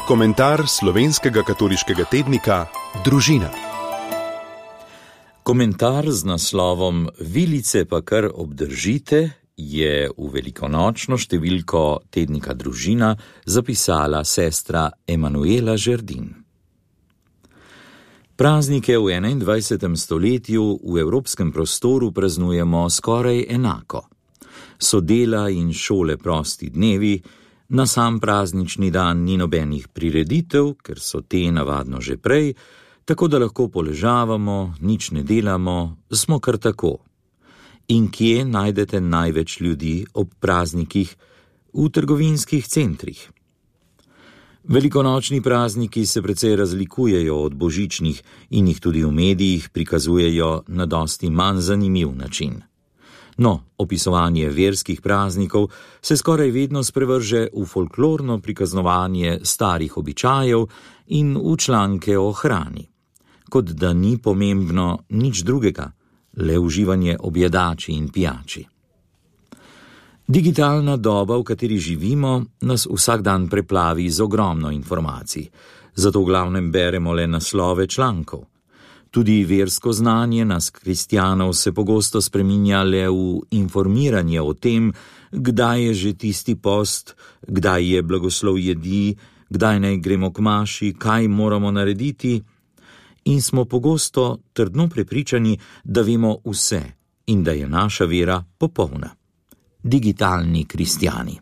Komentar slovenskega katoliškega tednika Družina. Komentar z naslovom Vilice pa kar obdržite je v velikonočno številko tednika Družina zapisala sestra Emanuela Žerdin. Praznike v 21. stoletju v evropskem prostoru praznujemo skoraj enako. So dela in šole prosti dnevi, na sam praznični dan ni nobenih prireditev, ker so te navadno že prej, tako da lahko poležavamo, nič ne delamo, smo kar tako. In kje najdete največ ljudi ob praznikih? V trgovinskih centrih. Velikonočni prazniki se precej razlikujejo od božičnih in jih tudi v medijih prikazujejo na dosti manj zanimiv način. No, opisovanje verskih praznikov se skoraj vedno sprevrže v folklorno prikaznovanje starih običajev in v članke o hrani. Kot da ni pomembno nič drugega, le uživanje objedači in pijači. Digitalna doba, v kateri živimo, nas vsak dan preplavi z ogromno informacij, zato v glavnem beremo le naslove člankov. Tudi versko znanje nas, kristjanov, se pogosto spreminja le v informiranje o tem, kdaj je že tisti post, kdaj je blagoslov jedi, kdaj naj gremo k maši, kaj moramo narediti, in smo pogosto trdno prepričani, da vemo vse in da je naša vera popolna. Digitalni kristjani.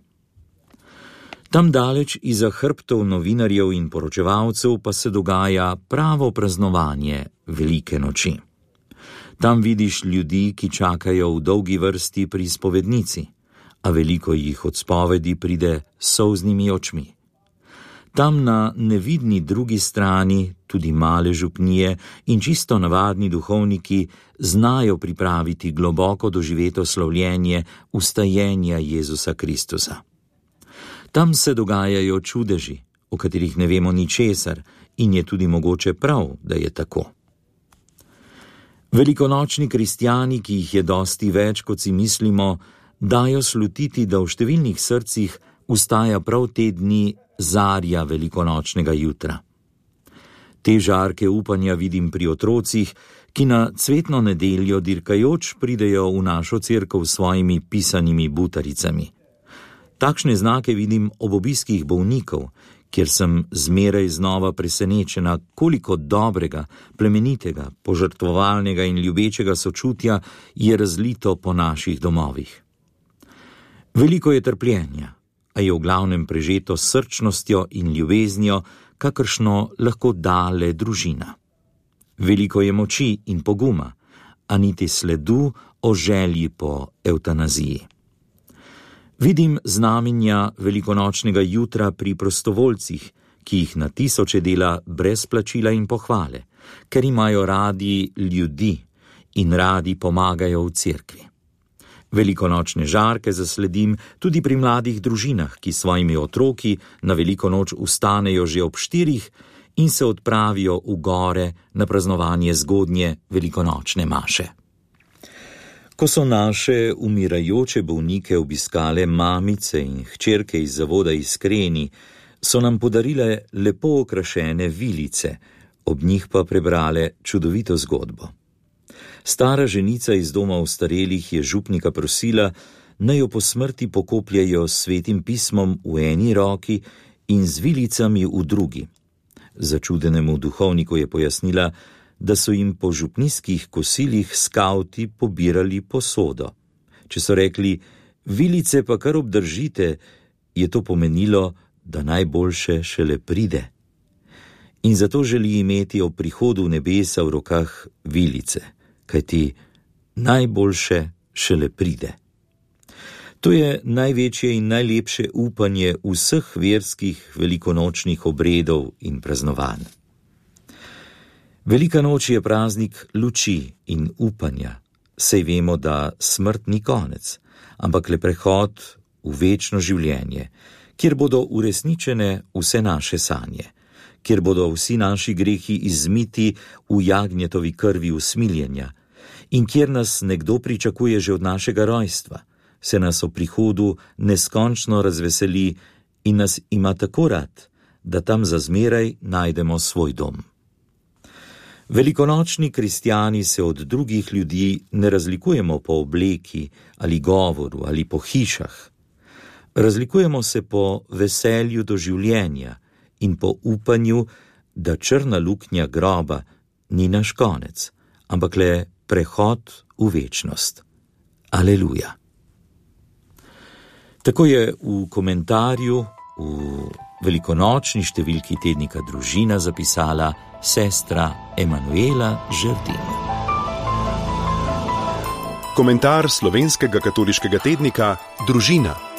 Tam daleč iza hrbtov novinarjev in poročevalcev pa se dogaja pravo praznovanje velike noči. Tam vidiš ljudi, ki čakajo v dolgi vrsti pri spovednici, a veliko jih od spovedi pride s solznimi očmi. Tam na nevidni drugi strani tudi male župnije in čisto navadni duhovniki znajo pripraviti globoko doživeto slavljenje vstajenja Jezusa Kristusa. Tam se dogajajo čudeži, o katerih ne vemo ničesar, in je tudi mogoče prav, da je tako. Velikonočni kristjani, ki jih je dosti več, kot si mislimo, dajo slutiti, da v številnih srcih vstaja prav te dni zarja velikonočnega jutra. Te žarke upanja vidim pri otrocih, ki na cvetno nedeljo dirkajoč pridejo v našo cerkev s svojimi pisanimi butaricami. Takšne znake vidim ob obiskih bolnikov, kjer sem zmeraj znova presenečena, koliko dobrega, plemenitega, požrtvovalnega in ljubečega sočutja je razlito po naših domovih. Veliko je trpljenja, a je v glavnem prežeto s srčnostjo in ljubeznijo, kakršno lahko da le družina. Veliko je moči in poguma, a niti sledu o želji po evtanaziji. Vidim znamenja velikonočnega jutra pri prostovoljcih, ki jih na tisoče dela brez plačila in pohvale, ker imajo radi ljudi in radi pomagajo v cerkvi. Velikonočne žarke zasledim tudi pri mladih družinah, ki svojimi otroki na veliko noč vstanejo že ob 4 in se odpravijo v gore na praznovanje zgodnje velikonočne maše. Ko so naše umirajoče bolnike obiskale mamice in hčerke iz zavoda Iskreni, so nam podarile lepo okrašene vilice, ob njih pa prebrale čudovito zgodbo. Stara ženica iz doma ostarelih je župnika prosila, naj jo po smrti pokopljejo s svetim pismom v eni roki in z vilicami v drugi. Začudenemu duhovniku je pojasnila, da so jim po župnijskih kosilih skavti pobirali posodo. Če so rekli, vilice pa kar obdržite, je to pomenilo, da najboljše šele pride. In zato želi imeti ob prihodu v nebesa v rokah vilice, kajti najboljše šele pride. To je največje in najlepše upanje vseh verskih velikonočnih obredov in praznovanj. Velika noč je praznik luči in upanja, saj vemo, da smrt ni konec, ampak le prehod v večno življenje, kjer bodo uresničene vse naše sanje, kjer bodo vsi naši grehi izmiti v jagnjetovi krvi usmiljenja in kjer nas nekdo pričakuje že od našega rojstva, se nas o prihodu neskončno razveseli in nas ima tako rad, da tam za zmeraj najdemo svoj dom. Velikonočni kristjani se od drugih ljudi ne razlikujemo po obleki ali govoru ali po hišah. Razlikujemo se po veselju do življenja in po upanju, da črna luknja groba ni naš konec, ampak le prehod v večnost. Aleluja. Tako je v komentarju v velikonočni številki tednika Družina zapisala sestra Emanuela Žerdin. Komentar slovenskega katoliškega tednika Družina.